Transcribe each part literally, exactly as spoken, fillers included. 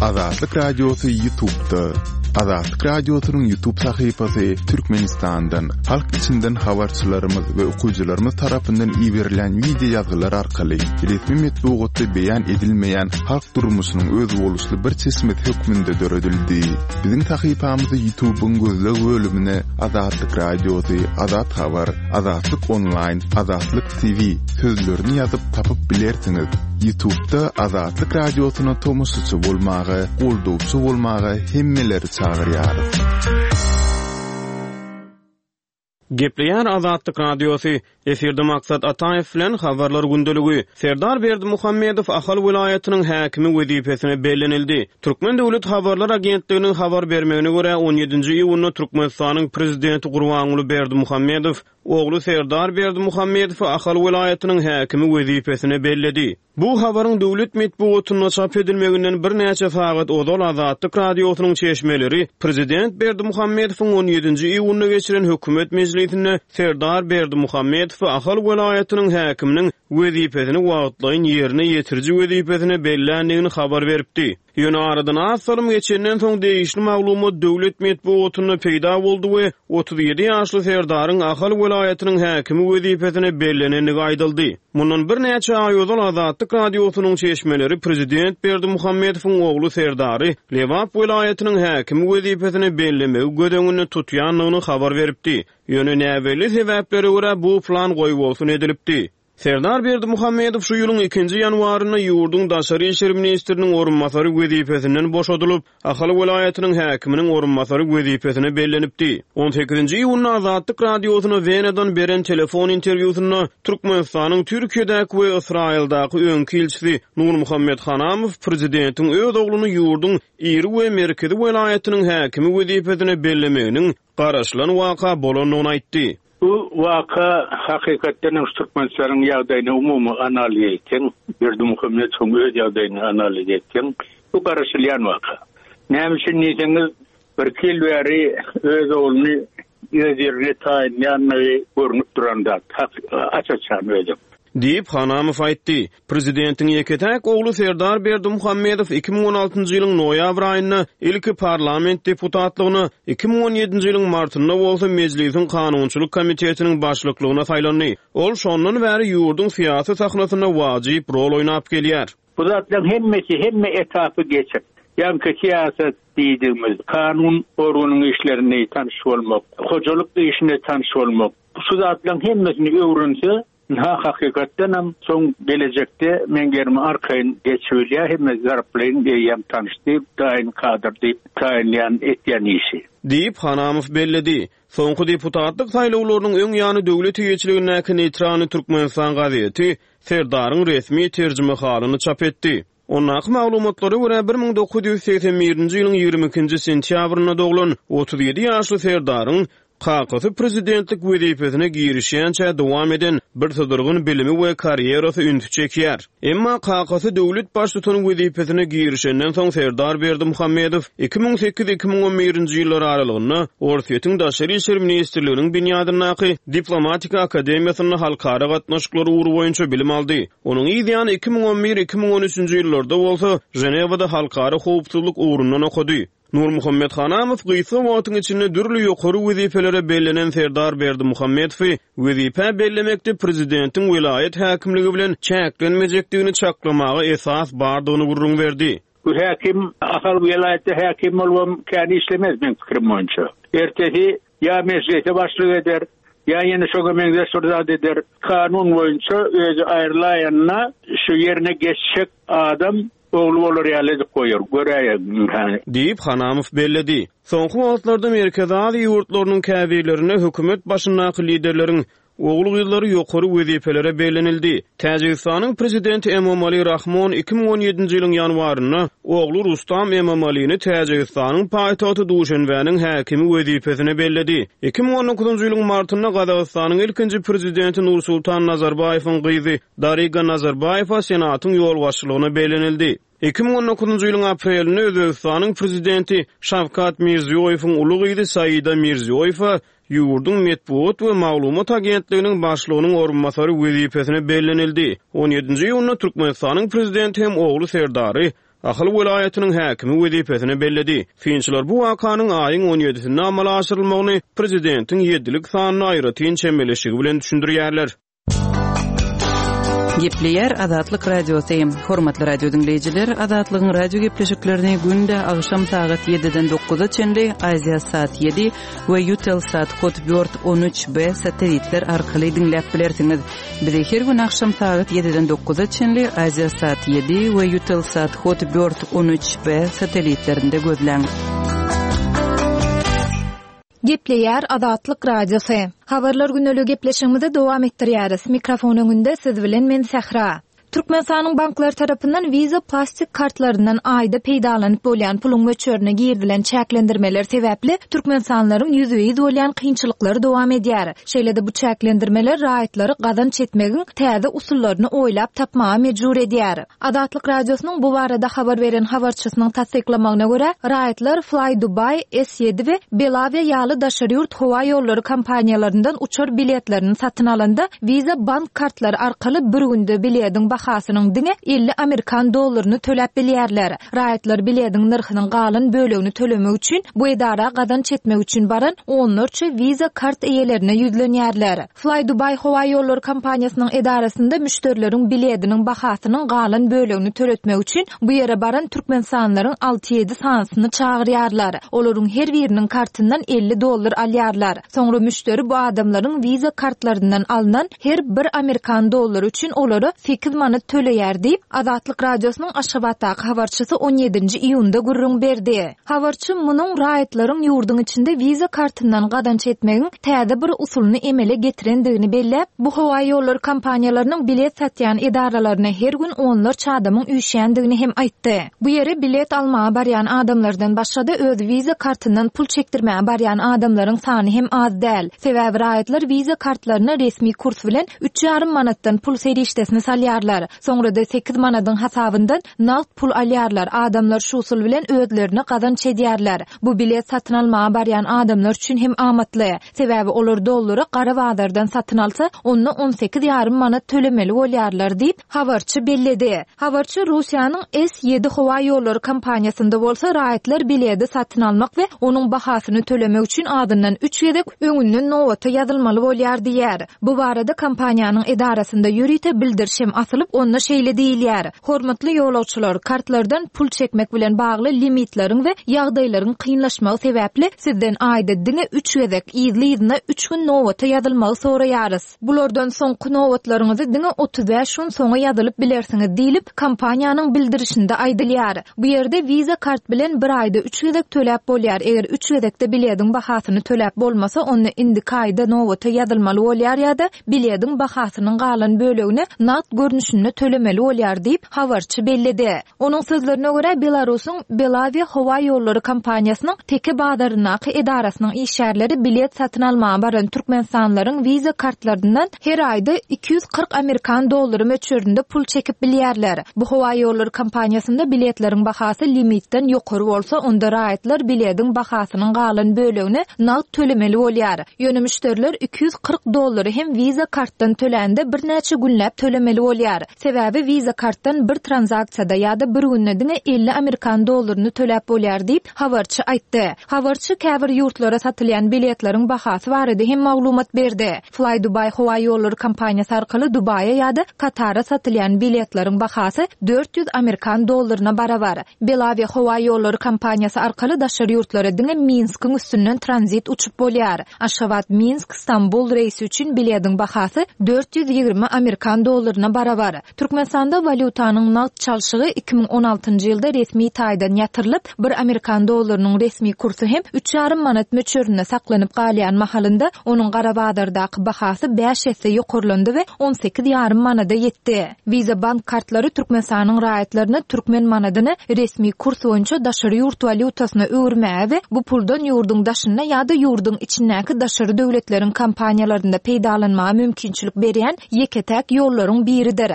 Azatlyk Radiosy YouTube'da. Azatlyk Radiosynyň YouTube sahypasy Türkmenistandan, halk içinden habarçylarymyz we okyjylarymyz tarapyndan iberilen wideo ýazgylar arkaly resmi metbugatda beýan edilmeýän halk durmuşynyň özboluşly bir çeşmesi hökmünde döredildi. Biziň sahypamyzy YouTube'yň gözleg bölümine Azatlyk Radiosy, Azat Habar, Azatlyk Online, Azatlyk T V sözlerini ýazyp tapyp bilersiňiz. YouTube'da Azatlyk Radiosyna tomaşaçy bolmaga, goldawçy bolmaga hemmeleri çagyrýarys. Gepleýär Azatlyk Radiosy. Efirde Maksat Ataýew bilen Habarlar gündeligi. Serdar Berdimuhamedow Ahal welaýatynyň häkimi wezipesine bellenildi. Türkmen Döwlet Habarlar Agentliginiň habar bermegine görä on ýedinji iýunda Türkmenistanyň prezidenti Gurbanguly Berdimuhamedow ogly Serdar Berdimuhamedowy Ahal welaýatynyň häkimi wezipesine belledi. Bu habaryň döwlet metbugatynda çap edilmeginden birnäçe sagat ozal Azatlyk Radiosynyň çeşmeleri prezident Berdimuhamedowyň on ýedinji iýunda geçiren hökümet mejlisinde Serdar Berdimuhamedowy Ahal welaýatynyň häkiminiň wezipesini wagtlaýyn ýerine ýetiriji wezipesine belländigini habar beripdi. Ýöne aradan az salym geçenden soň degişli maglumat döwlet metbugatynda peýda boldy we otuz ýedi ýaşly Serdaryň Ahal welaýatynyň häkimi wezipesine bellenendigi aýdyldy. Mundan birnäçe aý ozal Azatlyk Radiosynyň çeşmeleri prezident Berdimuhamedowyň ogly Serdary Lebap welaýatynyň häkimi wezipesine bellemegi göz öňünde tutýandygyny habar beripdi. Ýöne näbelli sebäplere görä bu plan goýbolsun edilipdi. Serdar Berdimuhamedow şu ýylyň ikinji ýanwarynda ýurduň daşary işler ministriniň orunbasary wezipesinden boşadylyp, Ahal welaýatynyň häkiminiň orunbasary wezipesine bellenipdi. on sekizinji iýunda Azatlyk Radiosyna Wenadan beren telefon interwýusynda Türkmenistanyň Türkiýedäki we Ysraýyldaky öňki ilçisi Nurmuhammet Hanamow prezidentiň öz ogluny ýurduň iri we merkezi welaýatynyň häkimi wezipesine bellemeginiň garaşylan waka bolandygyny aýtdy. Bu waka hakykatdan hem Türkmenistanyň ýagdaýyny umumy analiz etsen, Berdimuhamedowyň öz ýagdaýyny analiz etsen, bu garaşylýan waka. Näme üçin diýseňiz, bir ýyl bäri öz ogluny öz ýerine taýynlaýanlygy görünip duran zat, aç-açan özü. Diýip Hanamow aýtdy. Prezidentiň ýeke-täk ogly Serdar Berdimuhamedow iki müň on altynjy ýylyň noýabr aýynda ilki parlament deputatlygyna, iki müň on ýedinji ýylyň martynda bolsa Mejlisiň kanunçylyk komitetiniň başlyklygyna saýlandy. Ol şondan bäri ýurduň syýasy sahnasynda wajyp rol oýnap gelýär. Bu zatlaryň hemmesi hemme etapy geçip, ýaňky syýasat diýdigimiz, kanun organyň işlerini tanyş bolmak, hojalyk işine tanyş bolmak, şu zatlaryň hemmesini öwrense, ha hakykatdan hem soň gelejekde men gerimi arkaýyn geçibilýär, hemme zarplaýyn eýýäm tanyşdy, daýyn kadr diýip taýynlaýan etýän işi. Diýip Hanamow belledi. Soňky deputatlyk saýlawlarynyň öň ýany döwlet eýeçiligindäki Neytralny Türkmenistan gazeti Serdaryň resmi terjimehalyny çap etdi. Ondaky maglumatlara görä bir müň dokuz ýüz segsen birinji ýylyň ýigrimi ikinji sentýabrynda doglan otuz ýedi ýaşly Serdaryň kakasy prezidentlik wezipesine girişýänçä dowam eden bir sydyrgyn bilimi we karýerasy ünsi çekýär. Emma kakasy döwlet baştutany wezipesine girişenden soň Serdar Berdimuhamedow iki müň sekiz iki müň on birinji ýyllar aralygynda Orsýetiň Daşary işler ministrliginiň binýadyndaky Diplomatika akademiýasynda halkara gatnaşyklary ugry boýunça bilim aldy. Onuň yz ýany iki müň on bir iki müň on üçünji ýyllarda bolsa Ženewada halkara howpsuzlyk ugrundan okady. Nurmuhammet Hanamow gysga wagtyň içinde dürli ýokary wezipelere bellenen Serdar Berdimuhamedowy wezipä bellemekde prezidentiň welaýat häkimligi bilen çäklenmejekdigini çaklamaga esas bardygyny gürrüň berdi. Bu häkim Ahal welaýatda häkim bolubam kän işlemez men pikirim boýunça. Ertesi ýa mejlise başlyk eder, ýa ýene şoňa meňzeş bir zat eder. Kanun boýunça özi aýrylaýanyna şu ýerine geçjek adam ogly bolar ýaly edip goýar, göräýer. Diýip Hanamow belledi. Soňky wagtlarda Merkezi Aziýa ýurtlarynyň käbirlerinde hökümet başyndaky liderleriň ogul gyzlary ýokary wezipelere bellenildi. Täjigistanyň prezidenti Emomali Rahmon iki müň on ýedinji ýylyň ýanwarynda ogly Rustam Emomalini Täjigistanyň paýtagty Duşenbäniň häkimi wezipesine belledi. Iki müň on dokuzynjy ýylyň martynda Gazagystanyň ilkinji prezidenti Nursultan Nazarbaýewiň gyzy Dariga Nazarbaýewa Senatyň ýolbaşçylygyna bellenildi. Iki müň on dokuzynjy ýylyň aprelinde Özbegistanyň prezidenti Şawkat Mirziýoýewiň uly gyzy Saida Mirziýoýewa ýurduň metbugat we maglumat agentliginiň başlygynyň orunbasary wezipesine bellenildi. on ýedinji iýunda Türkmenistanyň prezidenti hem ogly Serdary Ahal welaýatynyň häkimi wezipesine belledi. Synçylar bu wakanyň aýyň on ýedisinde amala aşyrylmagyny prezidentiň ýedilik sanyna aýratyn çemeleşigi bilen düşündirýärler. Gepleýär Azatlyk Radiosy. Hormatly radio diňleýjiler, Azatlygyň radio gepleşiklerini günde agşam sagat ýediden dokuza çenli Aziýa saat ýedi we Eutelsat Hotbird on üç B satellitler arkaly diňläp bilersiňiz. Bizi her gün agşam sagat ýediden dokuza çenli Aziýa saat ýedi we Eutelsat Hotbird on üç B satellitlerinde gözläň. Gepleýär Azatlyk Radiosy. Habarlar güneli gepleşigimizi dowam etdirýäris. Mikrofon öňünde siz bilen men Sähra. Türkmenistanyň banklar tarapyndan Visa plastik kartlaryndan aýda peýdalanyp bolýan puluň möçberine girizilen çäklendirmeler sebäpli Türkmenistanlylaryň ýüzbe-ýüz bolýan kynçylyklary dowam edýär. Şeýle-de bu çäklendirmeler raýatlary gazanç etmegiň täze usullaryny oýlap tapmaga mejbur edýär. Azatlyk Radiosynyň bu barada habar beren habarçysynyň tassyklamagyna görä, raýatlar Fly Dubai, S ýedi we Belavia ýaly daşary ýurt howa ýollary kompaniýalaryndan uçar biletlerini satyn alanda Visa bank kartlary arkaly bir günde bilediň bahasynyň diňe elli amerikan dollaryny töläp bilýärler. Raýatlar bilediň nyrhynyň galan bölegini tölemek üçin bu edara gazanç etmek üçin baran onlarça Visa kart eýelerine ýüzlenýärler. Fly Dubai howa ýollary kompaniýasynyň edarasynda müşderileriň bilediniň bahasynyň galan bölegini töletmek üçin bu ýere baran Türkmenistanlylaryň alty ýedi sanysyny çagyrýarlar. Olaryň her biriniň kartyndan elli dollar alýarlar. Soňra müşderi bu adamlaryň Visa kartlaryndan alynan her bir amerikan dollary üçin olara sekiz manat töleýär diýip, Azatlyk Radiosynyň Aşgabatdaky habarçysy on ýedinji iýunda gürrüň berdi. Habarçy munuň raýatlaryň ýurduň içinde Visa kartyndan gazanç etmegiň täze bir usulyny emele getirendigini belläp, bu howa ýollary kompaniýalarynyň bilet satýan edaralaryna her gün onlarça adamyň üýşýändigini hem aýtdy. Bu ýere bilet almaga barýan adamlardan başga-da öz Visa kartyndan pul çekdirmäge barýan adamlaryň sany hem az däl. Sebäbi raýatlar Visa kartlaryna resmi kurs bilen üç ýarym manatdan pul serişdesini salýarlar. Soňra da sekiz manadyň hasabyndan nagt pul alýarlar. Adamlar şu usul bilen özlerine gazanç edýärler. Bu bilet satyn almaga barýan adamlar üçin hem amatly. Sebäbi olar dollary gara bazardan satyn alsa, onda on sekiz ýarym manat tölemeli bolýarlar diýip, habarçy belledi. Habarçy Russiýanyň S ýedi howa ýollary kompaniýasynda bolsa raýatlar bileti satyn almak we onuň bahasyny tölemek üçin adyndan üç gezek öňünden nobata ýazylmaly bolýar diýär. Bu barada kompaniýanyň edarasynda ýörite bildiriş hem asylyp, onda şeýle diýilýär. Hormatly ýolagçylar, kartlardan pul çekmek bilen bagly limitleriň we ýagdaýlaryň kynlaşmagy sebäpli sizden aýda diňe üç gezek yzly-yzyna üç gün nobata ýazylmagy soraýarys. Bulardan soňky nobatlaryňyzy diňe otuz bäş gün soňa ýazylyp bilersiňiz diýlip, kompaniýanyň bildirişinde aýdylýar. Bu ýerde Visa kart bilen bir aýda üç gezek töläp bolýar. Eger üç gezekde bilediň bahasyny töläp bolmasa, onda indiki aýda nobata ýazylmaly bolýar ýa-da bilediň bahasynyň galan bölegini nagt görnüşinde tölemeli bolýar diýip, habarçy belledi. Onuň sözlerine görä, Belarusyň Belavia howa ýollary kompaniýasynyň Teke bazaryndaky edarasynyň işgärleri bilet satyn almaga baran Türkmenistanlylaryň Visa kartlaryndan her aýda iki ýüz kyrk amerikan dollary möçberinde pul çekip bilýärler. Bu howa ýollary kompaniýasynda biletleriň bahasy limitden ýokary bolsa, onda raýatlar bilediň bahasynyň galan bölegini nagt tölemeli bolýar. Ýöne müşderiler iki ýüz kyrk dollary hem Visa kartdan tölände birnäçe günläp tölemeli bolýar. Sebäbi Visa kartdan bir tranzaksiýada ýa-da bir günde diňe elli amerikan dollaryny töläp bolýar diýip, habarçy aýtdy. Habarçy käbir ýurtlara satylýan biletleriň bahasy barada hem maglumat berdi. Fly Dubai howa ýollary kompaniýasy arkaly Dubaýa ýa-da Katara satylýan biletleriň bahasy dört ýüz amerikan dollaryna barabar. Belavia howa ýollary kompaniýasy arkaly daşary ýurtlara diňe Minskiň üstünden tranzit uçup bolýar. Aşgabat, Minsk, Stambul reýsi üçin bilediň bahasy dört ýüz ýigrimi amerikan dollaryna barabar. Türkmenistanda walýutanyň nagt çalşygy iki müň on altynjy ýylda resmi taýdan ýatyrylyp, bir amerikan dollarynyň resmi kursy hem üç ýarym manat möçberinde saklanyp galýan mahalynda onuň gara bazardaky bahasy bäş esse ýokarlandy we on sekiz ýarym manada ýetdi. Visa bank kartlary Türkmenistanyň raýatlaryna türkmen manadyny resmi kurs boýunça daşary ýurt walýutasyna öwürmäge we bu puldan ýurduň daşynda ýa-da ýurduň içindäki daşary döwletleriň kompaniýalarynda peýdalanmaga mümkinçilik berýän ýeke-täk ýollaryň biridir.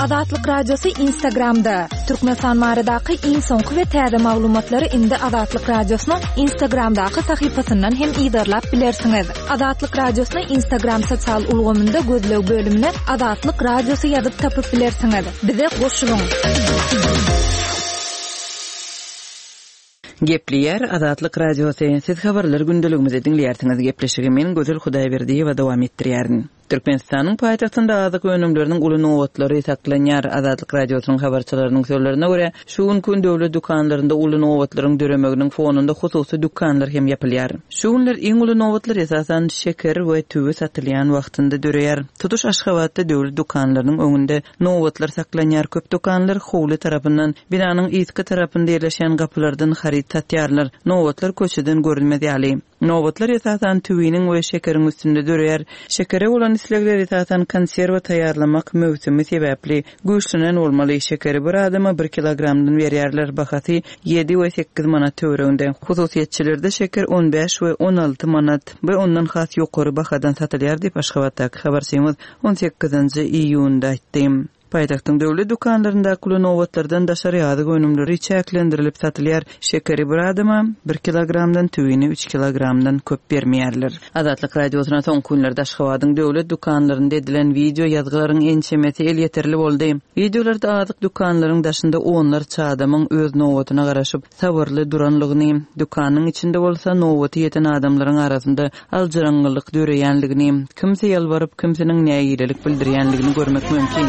Azatlyk Radiosy Instagramda. Türkmenistan baradaky iň soňky we täze maglumatlary indi Azatlyk Radiosynyň Instagramdaky sahypasyndan hem yzarlap bilersiňiz. Azatlyk Radiosyny Instagram sosial ulgamynda gözleg bölümine Azatlyk Radiosy ýazyp tapyp bilersiňiz. Bize goşulyň. Gepleýär Azatlyk Radiosy. Siz habarlar gündeligimizi diňleýärsiňiz. Gepleşigi men Gözel Hudaýberdiýewa dowam etdirýärin. Türkmenistanyň paýtagtynda azyk önümleriniň uly nobatlary saklanýar. Azatlyk Radiosynyň habarçylarynyň sözlerine görä, şu gün döwlet dükanlarynda uly nobatlaryň döremeginiň fonunda hususy dükanlar hem ýapylýar. Şu günler iň uly nobatlar esasan şeker we tüwi satylýan wagtynda döreýär. Tutuş Aşgabatda döwlet dükanlarynyň öňünde nobatlar saklanýar. Köp dükanlar howly tarapyndan, binanyň yzky tarapynda ýerleşen gapylardan haryt satýarlar. Nobatlar köçeden görünmez ýaly. Nobatlar esasan tüwiniň we şekeriň üstünde döreýär. Şekere bolan islegler esasan konserwa taýýarlamak möwsümi sebäpli güýçlenen bolmaly. Şekeri bir adama bir kilogramdan berýärler. Bahasy ýedi we sekiz manat töwereginde. Hususyýetçilerde şeker on bäş we on alty manat we ondan has ýokary bahadan satylýar diýip Aşgabatdaky habarçymyz on sekizinji iýunda aýtdy. Paýtagtyň döwlet dükanlaryndaky uly nobatlardan daşary azyk önümleri çäklendirilip satylýar. Şekeri bir adama bir kilogramdan, tüwini üç kilogramdan köp bermeýärler. Azatlyk Radiosyna soňky günlerde Aşgabadyň döwlet dükanlarynda edilen video ýazgylaryň ençemesi elýeterli boldy. Videolarda azyk dükanlaryň daşynda onlarça adamyň öz nobatyna garaşyp sabyrly duranlygyny, dükanyň içinde bolsa nobaty ýeten adamlaryň arasynda aljyraňňylyk döreýänligini, kimse ýalbaryp, kimsiniň nägilelik bildirýänligini görmek mümkin.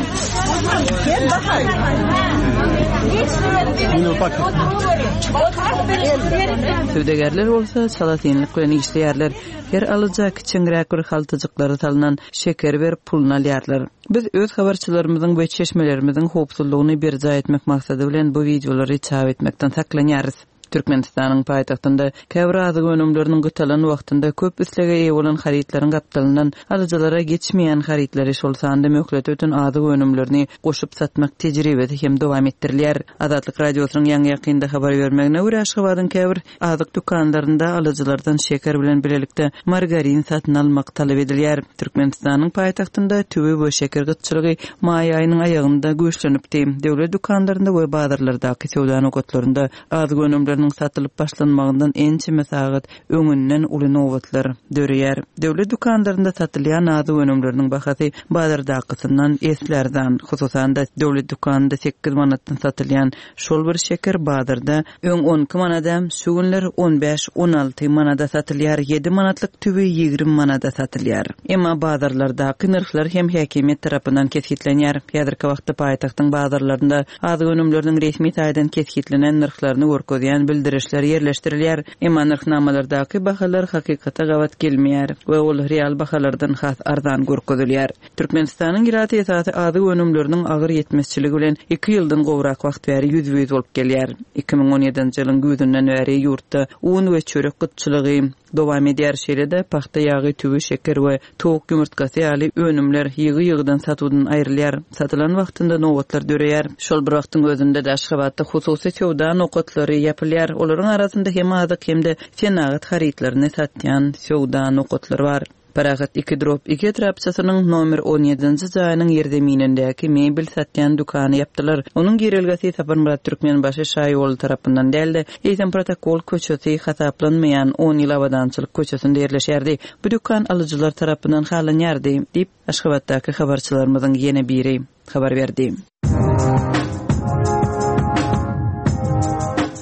Söwdagärler bolsa çalasynlyk bilen işleýärler. Her alyja kiçeňräk bir haltajyklary salynan şeker berip puluny alýarlar. Biz öz habarçylarymyzyň we çeşmelerimiziň howpsuzlygyny berjaý etmek maksady bilen bu videolary çap etmekden saklanýarys. Türkmenistanyň paýtagtynda käbir azyk önümleriniň gytalan wagtynda köp islege eýe bolan harytlaryň gapdalyndan alyjylara geçmeýän harytlary, şol sanda möhlet öten azyk önümlerini goşup satmak tejribesi hem dowam etdirilýär. Azatlyk Radiosynyň ýaňy ýakynda habar bermegine görä, Aşgabadyň käbir azyk dükanlarynda alyjylardan şeker bilen birlikde margarin satyn almak talap edilýär. Türkmenistanyň paýtagtynda tüwi we şeker gytçylygy maý aýynyň aýagynda güýçlenipdi. Döwlet dükanlarynda we bazarlardaky söwda nokatlarynda azyk önümleriniň satylyp başlanmagyndan ençeme sagat öňünden uly nobatlar döreýär. Döwlet dükanlarynda satylýan azyk önümleriniň bahasy bazardakysyndan esli arzan. Hususan-da döwlet dükanynda sekiz manatdan satylýan şol bir şeker bazarda öň on iki manada, şu günler on bäş on alty manada satylýar. Ýedi manatlyk tüwi ýigrimi manada satylýar. Emma bazarlardaky nyrhlar hem häkimiýet tarapyndan kesgitlenýär. Häzirki wagtda paýtagtyň bazarlarynda azyk önümleriniň resmi taýdan kesgitlenen nyrhlaryny görkezýän bildirişler ýerleşdirilýär. Emma nyrhnamalardaky bahalar hakykata gabat gelmeýär we ol real bahalardan has arzan görkezilýär. Türkmenistanyň ilaty esasy azyk önümleriniň agyr ýetmezçiligi bilen iki ýyldan gowrak wagt bäri ýüz-ýüz bolup gelýär. Iki müň on ýedinji ýylyň güýzünden bäri ýurtda un we çörek gytçylygy dowam edýär. Şeýle-de pagta ýagy, tüwi, şeker we towuk ýumurtgasy ýaly önümler ýygy-ýygydan satuwdan aýrylýar. Satylan wagtynda nobatlar döreýär. Şol bir wagtyň özünde-de Aşgabatda hususy söwda nokatlary ýapylýar. Olaryň arasynda hem azyk hem-de senagat harytlaryny satýan söwda nokatlary bar. Parahat iki drop iki etrapçasynyň nomer on ýedinji jaýynyň ýerzeminindäki mebel satýan dükany ýapdylar. Onuň girelgesi Saparmyrat Türkmenbaşy Şaýoly tarapyndan däldi. Eýsem protokol köçesi hasaplanmaýan on ýyl abadançylyk köçesinde ýerleşýärdi. Bu dükan alyjylar tarapyndan halanýardy diýip Aşgabatdaky habarçylarymyzyň ýene biri habar berdi.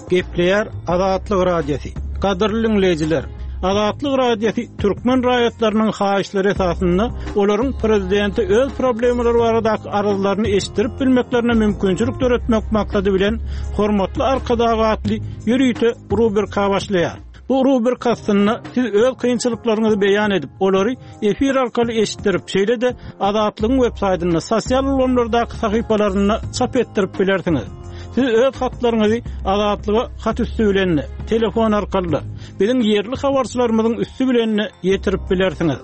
Gepleýär Azatlyk Radiosy. Gadyrly dinleýjiler, Azatlyk Radiosy türkmen raýatlarynyň haýyşlary esasynda olaryň prezidenti öz problemalary baradaky arzlaryny eşitdirip bilmeklerine mümkinçilik döretmek maksady bilen Hormatly Arkadag atly ýörite rubrika başlaýar. Bu rubrika astynda siz öz kynçylyklaryňyzy beýan edip, olary efir arkaly eşitdirip, şeýle-de Azatlygyň web saýtynda, sosial ulgamlardaky sahypalarynda çap etdirip bilersiňiz. Siz öz hatlaryňyzy Azatlyga hat üstü bilen, telefon arkaly, biziň ýerli habarçylarymyzyň üstü bilen ýetirip bilersiňiz.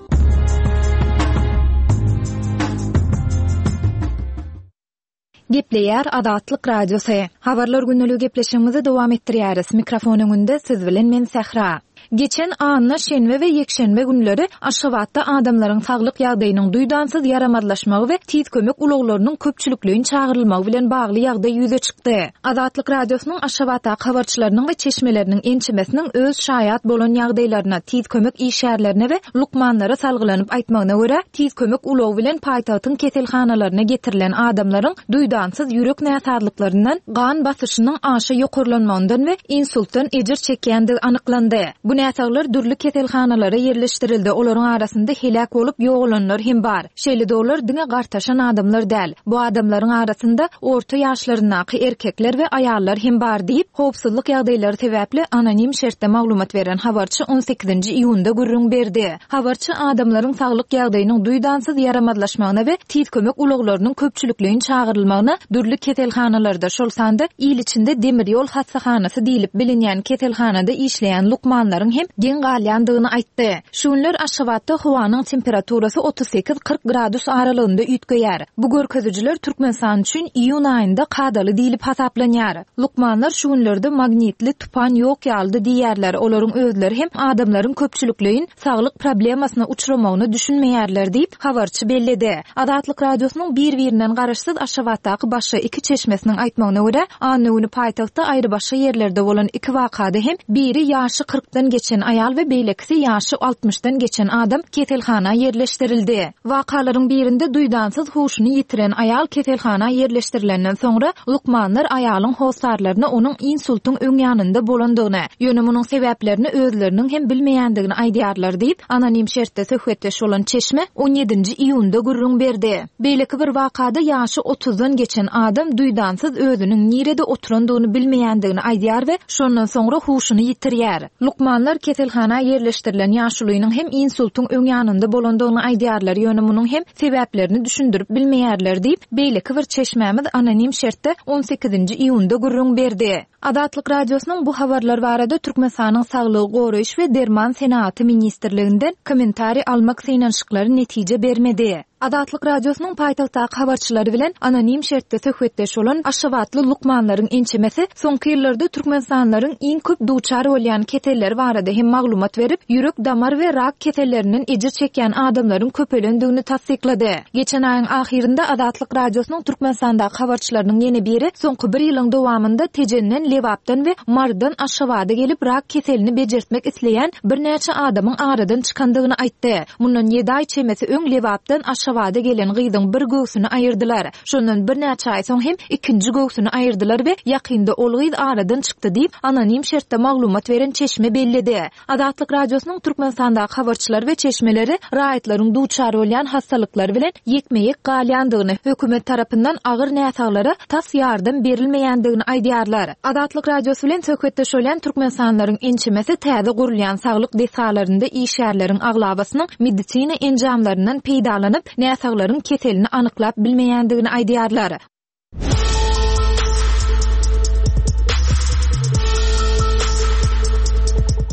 Gepleýär Azatlyk Radiosy. Habarlar günlügi gepleşigimizi dowam etdirýäris. Mikrofon öňünde siz bilen men Sähra. Geçen anna şenbe we ýekşenbe günleri Aşgabatda adamlaryň saglyk ýagdaýynyň duýdansyz ýaramazlaşmagy we tiz kömek ulaglarynyň köpçülikleýin çagyrylmagy bilen bagly ýagdaý ýüze çykdy. Azatlyk Radiosynyň Aşgabatdaky habarçylarynyň we çeşmeleriniň ençemesiniň öz şaýat bolan ýagdaýlaryna, tiz kömek işgärlerine we lukmanlara salgylanyp aýtmagyna görä, tiz kömek ulagy bilen paýtagtyň keselhanalaryna getirilen adamlaryň duýdansyz ýürek näsazlyklaryndan, gan basyşynyň aşa ýokarlanmagyndan we insultdan ejir çekýändigi anyklandy. Bu näsaglar dürli keselhanalara ýerleşdirildi. Olaryň arasynda heläk bolup ýogalanlar hem bar. Şeýle-de olar diňe gartaşan adamlar däl. Bu adamlaryň arasynda orta ýaşlaryndaky erkekler we aýallar hem bar diýip, howpsuzlyk ýagdaýlary sebäpli anonim şertde maglumat beren habarçy on sekizinji iýunda gürrüň berdi. Habarçy adamlaryň saglyk ýagdaýynyň duýdansyz ýaramazlaşmagyna we tiz kömek ulaglarynyň köpçülikleýin çagyrylmagyna dürli keselhanalarda, şol sanda il içinde demir ýol hassahanasy diýlip bilinýän keselhanada işleýän lukmanlaryň hem geň galýandygyny aýtdy. Şu günler Aşgabatda howanyň temperaturasy otuz sekiz kyrk gradus aralygynda üýtgeýär. Bu görkezijiler Türkmenistan üçin iýun aýynda kadaly diýlip hasaplanýar. Lukmanlar şu günlerde magnitli tupan ýok ýalydy diýýärler. Olaryň özleri hem adamlaryň köpçülikleýin saglyk problemasyna uçramagyny düşünmeýärler diýip habarçy belledi. Azatlyk Radiosynyň bir-birinden garaşsyz Aşgabatdaky başga iki çeşmesiniň aýtmagyna görä, anna güni paýtagtda aýry başga ýerlerde bolan iki wakada hem biri ýaşy kyrkdan geçen aýal we beýlekisi ýaşy altmyşdan geçen adam keselhana ýerleşdirildi. Wakalaryň birinde duýdansyz huşuny ýitiren aýal keselhana ýerleşdirilenden soňra lukmanlar aýalyň hossarlaryna onuň insultyň öň ýanynda bolandygyny, ýöne munuň sebäplerini özleriniň hem bilmeýändigini aýdýarlar diýip, anonim şertde söhbetdeş bolan çeşme on ýedinji iýunda gürrüň berdi. Beýleki bir wakada ýaşy otuzdan geçen adam duýdansyz özüniň nirede oturandygyny bilmeýändigini aýdýar we şondan soňra huşuny ýitirýär. Lukmanlar keselhana ýerleşdirilen ýaşulynyň hem insultyň öň ýanynda bolandygyny aýdýarlar, ýöne munuň hem sebäplerini düşündirip bilmeýärler diýip, beýleki bir çeşmämiz anonim şertde on sekizinji iýunda gürrüň berdi. Azatlyk Radiosynyň bu habarlar barada Türkmenistanyň Saglygy goraýyş we Derman senagaty ministrliginden kommentariý almak synanyşyklary netije bermedi. Azatlyk Radiosynyň paýtagtdaky habarçylary bilen anonim şertde söhbetdeş bolan Aşgabatly lukmanlaryň ençemesi soňky ýyllarda Türkmenistanlylaryň iň köp duçar bolýan keselleri barada hem maglumat berip, ýürek damar we rak kesellerinden ejir çekýän adamlaryň köpelendigini tassyklady. Geçen aýyň ahyrynda Azatlyk Radiosynyň Türkmenistandaky habarçylarynyň ýene biri soňky bir ýylyň dowamynda Tejenden, Lebapdan we Mardan Aşgabada gelip rak keselini bejertmek isleýän birnäçe adamyň aradan çykandygyny aýtdy. Mundan ýedi aý çemesi öň Lebapdan Aşgabada gelen gyzyň bir göwsüni aýyrdylar. Şondan birnäçe aý soň hem ikinji göwsüni aýyrdylar we ýakynda ol gyz aradan çykdy diýip anonim şertde maglumat beren çeşme belledi. Azatlyk Radiosynyň Türkmenistandaky habarçylary we çeşmeleri raýatlaryň duçar bolýan hastalyklary bilen ýekme-ýek galýandygyny, hökümet tarapyndan agyr näsaglara tas ýardam berilmeýändigini aýdýarlar. Azatlyk Radiosy bilen söhbetdeş bolýan Türkmenistanlylaryň ençemesi täze gurulýan saglyk desgalarynda işgärleriň aglabasynyň medisina enjamlaryndan peýdalanyp, näsaglaryň keselini anyklap bilmeýändigini aýdýarlar.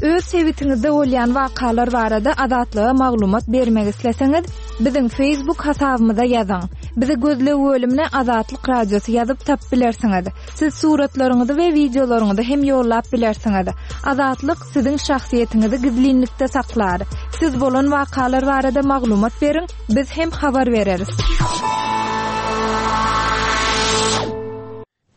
Öz sebitiňizde bolýan wakalar barada Azatlyga maglumat bermek isleseňiz, biziň Facebook hasabymyza ýazyň. Bizi gözleg bölümine Azatlyk Radiosy ýazyp tap bilersiňiz. Siz suratlaryňyzy we wideolaryňyzy hem ýollap bilersiňiz. Azatlyk siziň şahsyýetiňizi gizlinlikde saklar. Siz bolan wakalar barada maglumat beriň, biz hem habar bereris.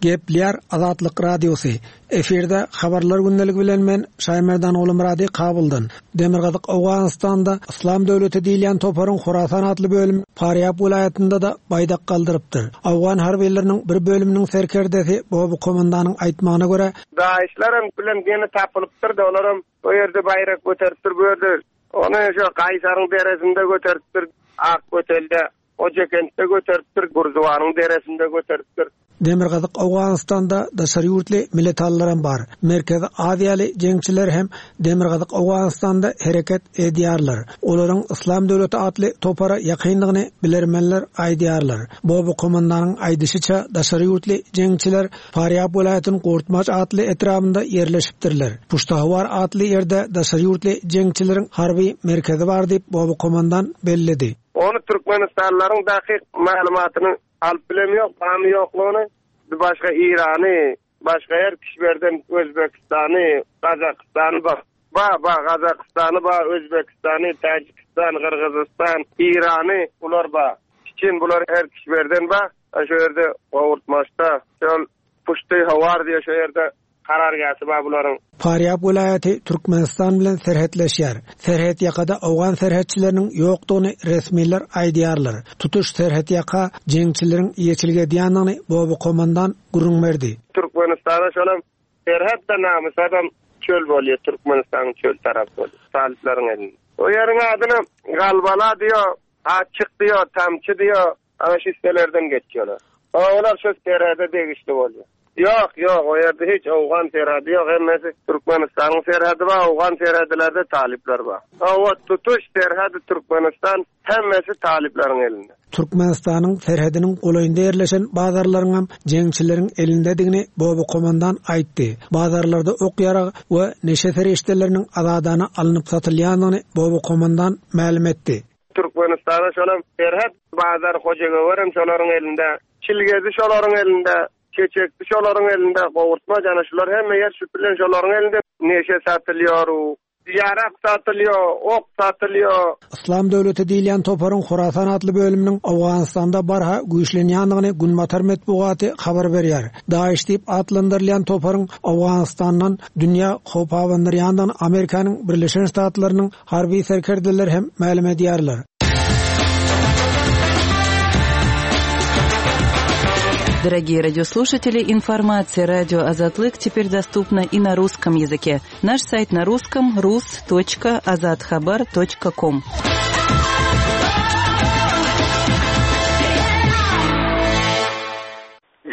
Gepler Azatlyk Radiosy. Efirde habarlar gündelik bilen men Şaýmerdan Oglumyrady Kabuldan. Demirgazyk Owganystanda Islam döwleti diýilýän toparyň Horasan atly bölüm Farýab welaýatynda da baýdak galdyrypdyr. Awgan harbiýlarynyň bir bölüminiň serkerdesi Bobu komandanyň aýtmagyna görä, Daişlaryň bilen ýene tapylypdyr, dolaram o ýerde baýrak göteripdir, bu ýerde ony şu Gaýsaryň deresinde göteripdir, Ak götelde, Ojekentde göteripdir, Gurduwanyň deresinde göteripdir. Demirgazyk Owganystanda daşary ýurtly milletalaram bar. Merkezi Aziýaly jeňçiler hem Demirgazyk Owganystanda hereket edýärler. Olaryň Islam döwleti atly topara ýakynlygyny bilermenler aýdýarlar. Bobu komandanyň aýdyşyça daşary ýurtly jeňçiler Farýab welaýatynyň Gurtmaç atly etrabynda ýerleşipdirler. Puştahwar atly ýerde daşary ýurtly jeňçileriň harby merkezi bar diýip Bobu komandan belledi. Onu Türkmenistanlaryň dakyk maglumatyny alyp bilem ýok, bamy ýoklugyny, başga İrany, başga her kişilerden Özbekistany, Gazakystany Ba, ba, Gazagystany ba, Özbekistany, Täjikistan, Gyrgyzystan, Irany bular ba. Çin bular her kişilerden ba. Şu ýerde gowurtmaçda, şol Puşty howar diýe şu ýerde karargähi bar bularyň. Farýab welaýaty Türkmenistan bilen serhetleşýär. Serhet ýakada owgan serhetçileriniň ýokdugyny resmiler aýdýarlar. Tutuş serhet ýaka jeňçileriň eýeçilik edýändigini Bobo komandan gürrüň berdi. Türkmenistana şolam serhet de namysadam çöl bolýar, Türkmenistanyň çöl tarapy bolýar. Talyplaryň elinde. O ýeriň adyny Galbala diýo, Açyk diýo, Tamçy diýo, ana şu hisselerden geçiyorlar. Olar şu serhede degişli bolýar. Ýok, ýok, o ýerde hiç owgan serhedi ýok, hemmesi Türkmenistanyň serhedi bar, owgan serhedilerde talyplar bar. O tutuş serhedi Türkmenistan hemmesi talyplaryň elinde. Türkmenistanyň serhediniň golaýynda ýerleşen bazarlaryň hem jeňçileriň elindedigini Bobo komandan aýtdy. Bazarlarda ok ýarag we neşe serişdeleriniň azadana alnyp satylýandygyny Bobo komandan mälim etdi. Türkmenistana şolam serhet bazar Hojagöwerem şolaryň elinde, Çilgezi şolaryň elinde, Çeçekli şolaryň elinde, gowurtma jana şular hemme ýer şu bilen şolaryň elinde neşe satylýar, ýarak satylýar, ok satylýar. Islam döwleti diýilýän toparyň Horasan atly bölüminiň Owganystanda barha güýçlenýändigini Günbatar metbugaty habar berýär. Daesh diýip atlandyrylýan toparyň Owganystandan dünýä howp abandyrýandygyny Amerikanyň Birleşen Ştatlarynyň harby serkerdeleri hem mälim edýärler. Дорогие радиослушатели, информация радио Азатлык теперь доступна и на русском языке. Наш сайт на русском rus.azathabar.com.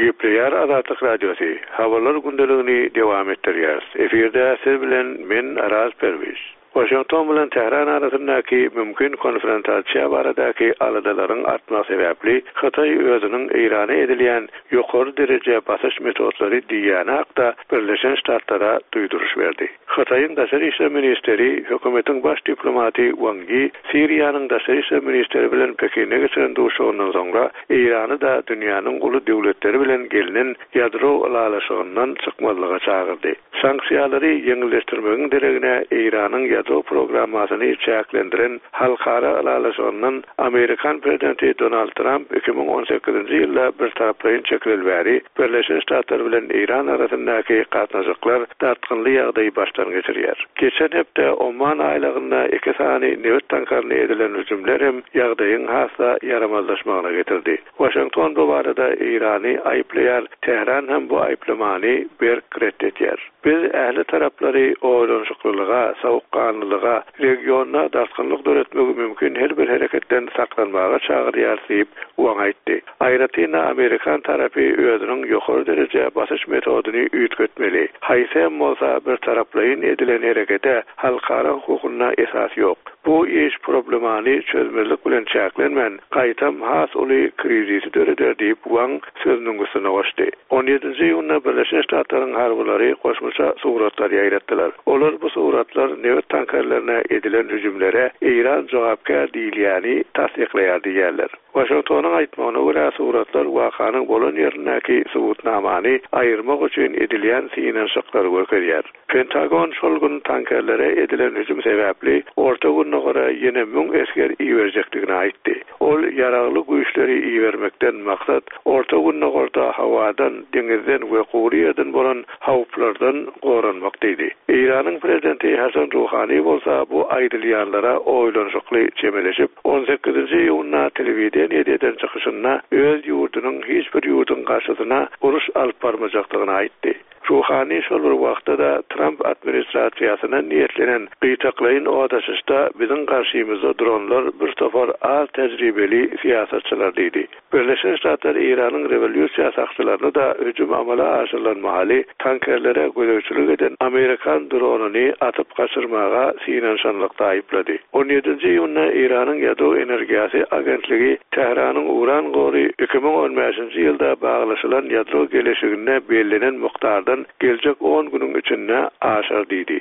Gepleýär Azatlyk Radiosy. Habarlar gündeligini dowam etdirýär. Efirde siz bilen men Araz Perwiz. Washington bilen Tähran arasyndaky mümkin konfrontasiýa baradaky aladalaryň artmagy sebäpli Hytaý özüniň Eýrana edilýän ýokary dereje basyş metodlary diýýäni hakda Birleşen Ştatlara duýduryş berdi. Hytaýyň daşary işler ministeri, hökümetiň baş diplomaty Wang Yi, Siriýanyň daşary işler ministeri bilen Pekinde geçiren duşuşygyndan soňra Eýrany da dünýäniň uly döwletleri bilen gelinen ýadro ylalaşygyndan çykmazlyga çagyrdy. Sanksiýalary ýeňilleşdirmegiň deregine Eýranyň ýadro programmasyny çäklendiren halkara ylalaşygyndan Amerikan prezidenti Donald Trump iki müň on sekizinji ýylda bir taraplaýyn çekileli bäri Birleşen Ştatlar bilen Eýran arasyndaky gatnaşyklar dartgynly ýagdaýy başdan geçirýär. Geçen hepde Oman aýlagynda iki sany nebit tankaryna edilen hüjümler hem ýagdaýyň has-da ýaramazlaşmagyna getirdi. Washington bu barada Eýrany aýyplaýar, Tähran hem bu aýyplamany berk ret edýär. Biz ähli taraplary oýlanyşyklylyga, soğukganlylyga, regionda dartgynlyk döretmegi mümkin her bir hereketden saklanmaga çagyrýar diýip Wang aýtdy. Aýratyn Amerikan tarapy özüniň ýokary dereje basyş metodyny üýtgetmeli. Haýsy hem bolsa bir taraplaýyn edilen herekete halkara hukugynda esas ýok. Bu iş problemany çözmezlik bilen çäklenmän, gaýtam has uly krizisi döreder diýip Wang sözüniň üstüne goşdy. On ýedinji iýunda Birleşen Ştatlaryň harbylary goşmaça suratlar ýaýratdylar. Olar bu suratlar nebit tankerlerine edilen hüjümlere Eýran jogapkär diýilýäni tassyklaýar diýýärler. Washingtonyň aýtmagyna görä suratlar wakanyň bolan ýerindäki subutnamany aýyrmak üçin edilýän synanyşyklary görkezýär. Pentagon şol gün tankerlere edilen hüjüm sebäpli Orta Gündogara ýene müň esger iberjekdigini aýtdy. Ol ýaragly güýçleri ibermekden maksat Orta Gündogarda hawadan, deňizden we gury ýerden bolan howplardan goranmak diýdi. Eýranyň prezidenti Hasan Ruhani bolsa bu aýdylýanlara oýlanyşykly çemeleşip, on sekizinji iýunda telewideniýede eden çykyşynda öz ýurdunyň hiç bir ýurduň garşysyna uruş alyp barmajakdygyny aýtdy. Ruhani şol bir wagtda da Trump administrasiýasyna niýetlenen gytaklaýyn odaşyşda biziň garşymyzda duranlar bir topar az tejribeli syýasatçylar diýdi. Birleşen Ştatlar Eýranyň rewolýusiýa sakçylaryny da hüjüm amala aşyrylan mahaly tankerlere gözegçilik eden Amerikan dronyny atyp gaçyrmaga synanyşanlykda aýyplady. On ýedinji iýunda Eýranyň ýadro energiýasy agentligi Tähranyň uran gory iki müň on bäşinji ýylda baglaşylan ýadro geleşiginde bellenen mukdardan geljek on günüň içinde aşar diýdi.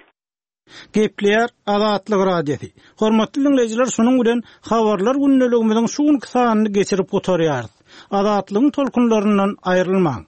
Gepleýär Azatlyk Radiosy. Hormatly dinleýjiler, şunuň bilen habarlar gündeligimiziň şu günki sanyny geçirip gutarýarys. Azatlygyň tolkunlaryndan aýrylmaň.